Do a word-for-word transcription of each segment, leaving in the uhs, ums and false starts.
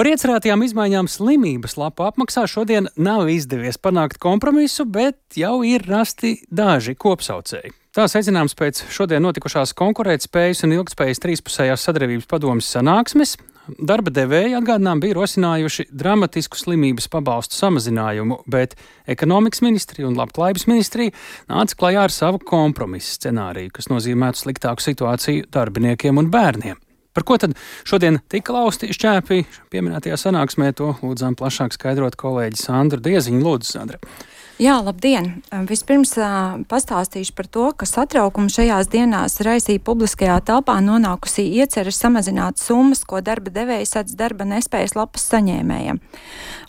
Par iecerētajām izmaiņām slimības lapu apmaksā šodien nav izdevies panākt kompromisu, bet jau ir rasti daži kopsaucēji. Tā secināms pēc šodien notikušās konkurētspējas un ilgtspējas trīspusējās sadarbības padomes sanāksmes. Darba devēji atgādinām bija rosinājuši dramatisku slimības pabalstu samazinājumu, bet ekonomikas ministrija un labklājības ministrija nāca klajā ar savu kompromisu scenāriju, kas nozīmētu sliktāku situāciju darbiniekiem un bērniem. Par ko tad šodien tika lausti šķēpi pieminētajā sanāksmē, to lūdzām plašāk skaidrot kolēģi Sandra Dieziņa. Lūdzu, Sandra. Jā, labdien! Vispirms pastāstīšu par to, ka satraukumu šajās dienās raisīja publiskajā telpā nonākusī iecerē samazināt summas, ko darba devēji sedz darba nespējas lapas saņēmējiem.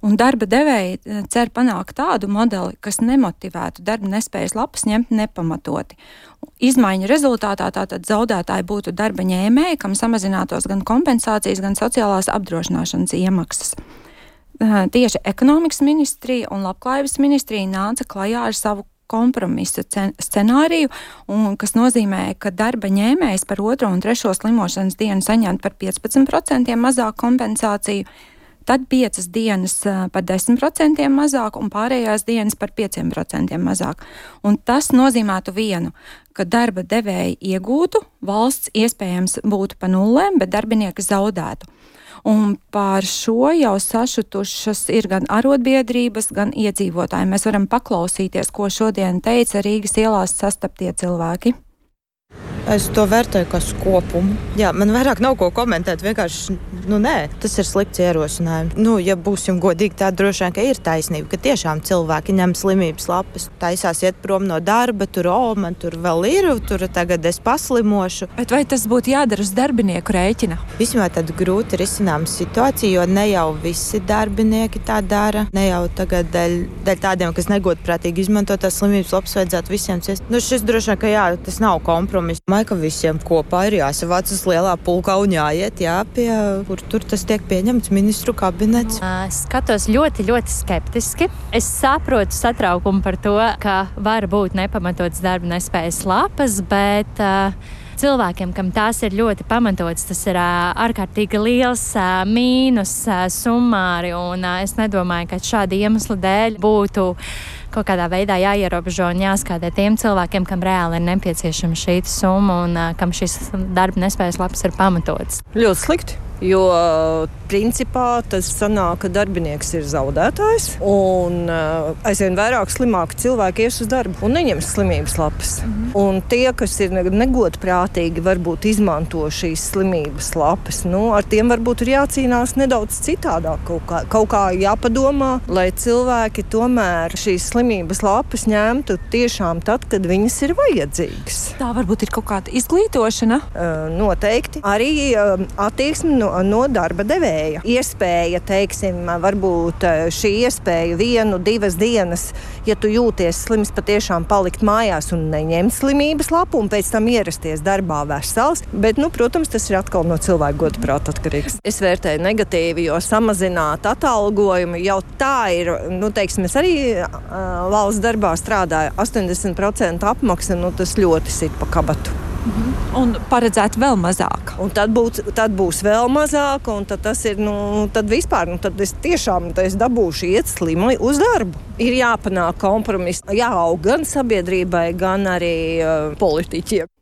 Un darba devēji cer panākt tādu modeli, kas nemotivētu darba nespējas lapas ņemt nepamatoti. Izmaiņu rezultātā tātad zaudētāji būtu darba ņēmēji, kam samazinātos gan kompensācijas, gan sociālās apdrošināšanas iemaksas. Tieši ekonomikas ministrija un labklājības ministrija nāca klajā ar savu kompromisa scenāriju, un, kas nozīmē, ka darba ņēmējs par otro un trešo slimošanas dienu saņemt par piecpadsmit procentiem mazāk kompensāciju, tad piecas dienas par desmit procentiem mazāk un pārējās dienas par pieciem procentiem mazāk. Un tas nozīmētu vienu, ka darba devēji iegūtu, valsts iespējams būtu pa nullēm, bet darbinieki zaudētu. Un pār šo jau sašutušas ir gan arotbiedrības, gan iedzīvotāji. Mēs varam paklausīties, ko šodien teica Rīgas ielās sastaptie cilvēki. Es to vērtēju kā kopumu. Jā, man vairāk nav ko komentēt, vienkārši, nu nē, tas ir slikts ierosinājums. Nu, ja būsim godīgi, tā droši vien, ka ir taisnība, ka tiešām cilvēki ņem slimības lapas, taisās iet prom no darba, tur, o, man tur vēl ir, tur tagad es paslimošu. Bet vai tas būtu jādara uz darbinieku rēķina? Vismaz tad grūti risinām situāciju, jo ne jau visi darbinieki tā dara, ne jau tagad dēļ, dēļ tādiem, kas negodprātīgi izmanto tās slimības lapas, vajadzētu visiem ciest. Nu, šis droši vien, ka jā, tas nav kompromiss. Ka visiem kopā ir jāsavāc uz lielā pulkā un jāiet, jā, pie, kur tur tas tiek pieņemts ministru kabinets. Es skatos ļoti, ļoti skeptiski. Es saprotu satraukumu par to, ka var būt nepamatots darba nespējas lapas, bet uh, cilvēkiem, kam tās ir ļoti pamatots, tas ir uh, ārkārtīgi liels uh, mīnus uh, summāri, un uh, es nedomāju, ka šādi iemesli dēļ būtu kaut kādā veidā jāierobežo un jāskatē tiem cilvēkiem, kam reāli ir nepieciešama šī summa un uh, kam šis darba nespējas lapas ir pamatots. Ļoti slikti, jo principā tas sanāk, ka darbinieks ir zaudētājs un uh, aizvien vairāk slimāki cilvēki ies uz darbu un neņems slimības lapas. Mm-hmm. Un tie, kas ir negodprātīgi, varbūt izmanto šīs slimības lapas, nu, ar tiem varbūt ir jācīnās nedaudz citādāk, kaut kā, kaut kā jāpadomā, lai cilvēki tomēr šīs slimības lapas ņemtu tiešām tad, kad viņas ir vajadzīgas. Tā varbūt ir kaut kāda izglītošana? Uh, noteikti. Arī uh, attieksme no, no darba devēja. Iespēja, teiksim, varbūt šī iespēja vienu, divas dienas, ja tu jūties slims, patiešām palikt mājās un neņemt slimības lapu un pēc tam ierasties darbā vesels. Bet, nu, protams, tas ir atkal no cilvēka godprāta atkarīgs. Es vērtēju negatīvi, jo samazināt atalgojumu jau tā ir, nu, teiksim, es arī uh, valsts darbā strādāju, astoņdesmit procenti apmaksa, nu, tas ļoti sit pa kabatu. Mhm. Un paredzēt vēl mazāk. Un tad, būt, tad būs vēl mazāk, un tad tas ir, nu, tad vispār, nu, tad es tiešām tad es dabūšu iet slimi uz darbu. Ir jāpanāk kompromiss, jāaug gan sabiedrībai, gan arī uh, politiķiem.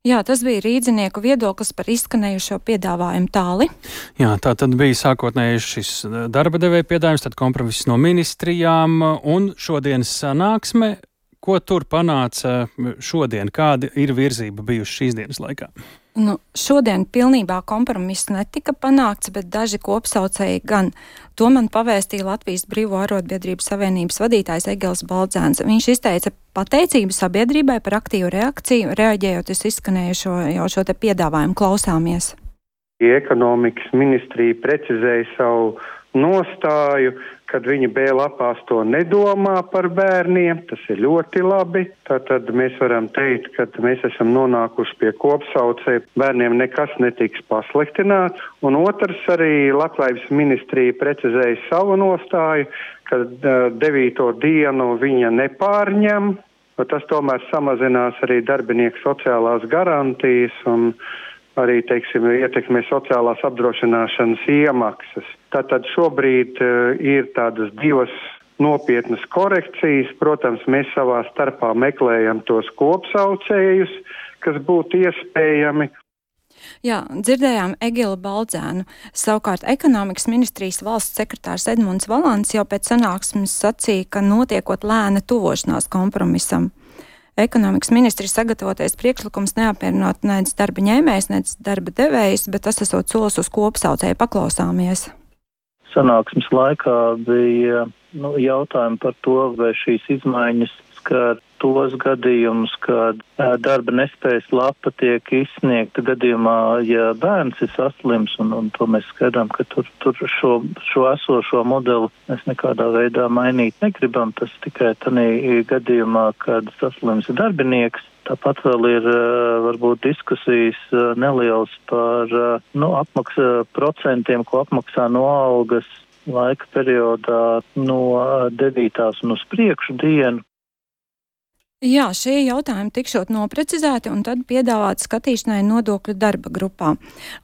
Jā, tas bija rīdzinieku viedoklis par izskanējušo piedāvājumu tāli. Jā, tā tad bija sākotnēji šis darba devēja piedāvājums, tad kompromiss no ministrijām un šodienas sanāksme. Ko tur panāca šodien? Kāda ir virzība bijuši šīs dienas laikā? Nu, šodien pilnībā kompromiss netika panākts, bet daži kopsaucēji gan. To man pavēstīja Latvijas Brīvo arotbiedrību savienības vadītājs Egils Baldzēns. Viņš izteica pateicību sabiedrībai par aktīvu reakciju, reaģējot uz izskanējušo jau šo te piedāvājumu. Klausāmies. Ekonomikas ministrija precizēja savu nostāju, kad viņi B lapās to nedomā par bērniem, tas ir ļoti labi. Tātad mēs varam teikt, ka mēs esam nonākuši pie kopsaucēja, bērniem nekas netiks pasliktināts. Un otrs arī Labklājības ministrija precizēja savu nostāju, ka uh, devīto dienu viņa nepārņem, tas tomēr samazinās arī darbinieku sociālās garantijas un arī, teiksim, ietekmē sociālās apdrošināšanas iemaksas. Tātad šobrīd uh, ir tādas divas nopietnas korekcijas. Protams, mēs savā starpā meklējam tos kopsaucējus, kas būtu iespējami. Jā, dzirdējām Egilu Baldzēnu. Savukārt ekonomikas ministrijas valsts sekretārs Edmunds Valants jau pēc sanāksmes sacīja, ka notiekot lēna tuvošanās kompromisam. Ekonomikas ministri sagatavotais priekšlikums neapmierinot nec darba ņēmējs, nec darba devējs, bet tas esot solis uz kopsaucēju. Paklausāmies. Sanāksmes laikā bija nu, jautājumi par to, vai šīs izmaiņas skar tos gadījumus, kad darba nespējas lapa tiek izsniegta gadījumā, ja bērns ir saslims, un, un to mēs skaidrām, ka tur, tur šo, šo esošo modeli mēs nekādā veidā mainīt negribam. Tas tikai tādā gadījumā, kad saslims darbinieks. Tāpat vēl ir varbūt diskusijas nelielas par nu, apmaksa procentiem, ko apmaksā no algas laika periodā no devītās un uz priekšu dienu. Jā, šie jautājumi tikšot noprecizēti un tad piedāvāt skatīšanai nodokļu darba grupā.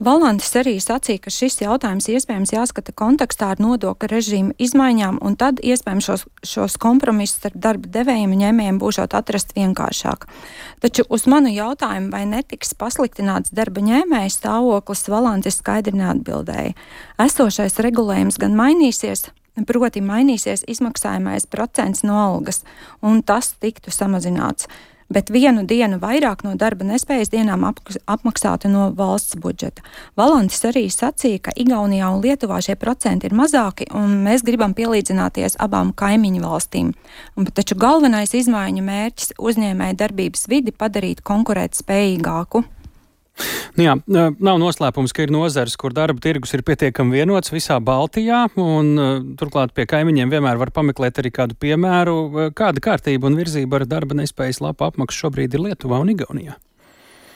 Valantis arī sacīja, ka šis jautājums iespējams jāskata kontekstā ar nodokļu režīmu izmaiņām, un tad iespējams šos, šos kompromisus starp darba devējiem un ņēmējiem būšot atrast vienkāršāk. Taču uz manu jautājumu, vai netiks pasliktināts darba ņēmēja stāvoklis, Valantis skaidri neatbildēja. Esošais regulējums gan mainīsies, proti mainīsies izmaksājamais procents no algas, un tas tiktu samazināts, bet vienu dienu vairāk no darba nespējas dienām apmaksātu no valsts budžeta. Valantis arī sacīja, ka Igaunijā un Lietuvā šie procenti ir mazāki, un mēs gribam pielīdzināties abām kaimiņu valstīm. Un, taču galvenais izmaiņu mērķis uzņēmēja darbības vidi padarīt konkurēt spējīgāku. Nu jā, nav noslēpums, ka ir nozares, kur darba tirgus ir pietiekami vienots visā Baltijā, un turklāt pie kaimiņiem vienmēr var pameklēt arī kādu piemēru. Kāda kārtība un virzība ar darba nespējas lapu apmaksu šobrīd ir Lietuvā un Igaunijā?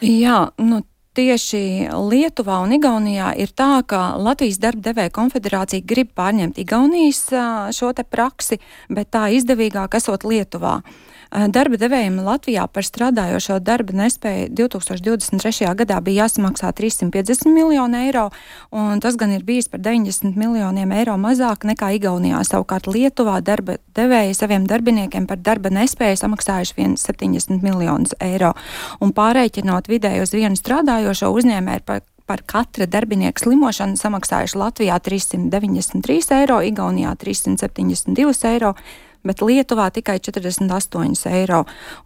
Jā, nu tieši Lietuvā un Igaunijā ir tā, ka Latvijas darba devēja konfederācija grib pārņemt Igaunijas šo te praksi, bet tā izdevīgāk esot Lietuvā. Darba devējiem Latvijā par strādājošo darba nespēju divtūkstoš divdesmit trešajā gadā bija jāsamaksā trīssimt piecdesmit miljoni eiro, un tas gan ir bijis par deviņdesmit miljoniem eiro mazāk nekā Igaunijā. Savukārt Lietuvā darba devēji saviem darbiniekiem par darba nespēju samaksājuši vien septiņdesmit miljonus eiro, un pārreikinot vidēji uz vienu strādājošo uzņēmēju par Par katra darbinieka slimošanu samaksājuši Latvijā trīssimt deviņdesmit trīs eiro, Igaunijā trīssimt septiņdesmit divi eiro, bet Lietuvā tikai četrdesmit astoņi eiro.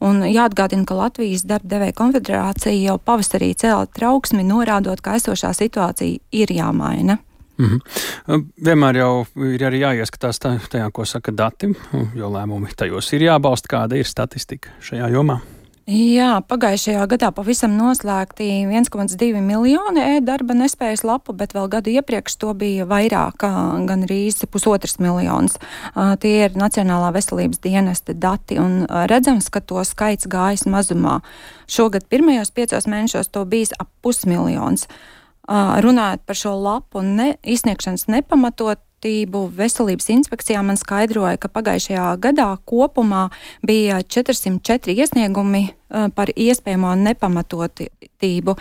Un jāatgādina, ka Latvijas darba devēja konfederācija jau pavasarī cēla trauksmi, norādot, ka esošā situācija ir jāmaina. Mm-hmm. Vienmēr jau ir arī jāieskatās tajā, ko saka dati, jo lēmumi tajos ir jābalsta. Kāda ir statistika šajā jomā? Jā, pagājušajā gadā pavisam noslēgti viens komats divi miljoni e-darba nespējas lapu, bet vēl gadu iepriekš to bija vairāk, gan rīz pusotras miljonas. Tie ir Nacionālā veselības dienesta dati, un redzams, ka to skaits gājas mazumā. Šogad pirmajos piecos mēnešos to bijis ap pusmiljons. Runājot par šo lapu ne, izsniegšanas nepamatot, Veselības inspekcijā man skaidroja, ka pagājušajā gadā kopumā bija četrsimt četri iesniegumi par iespējamo nepamatotību.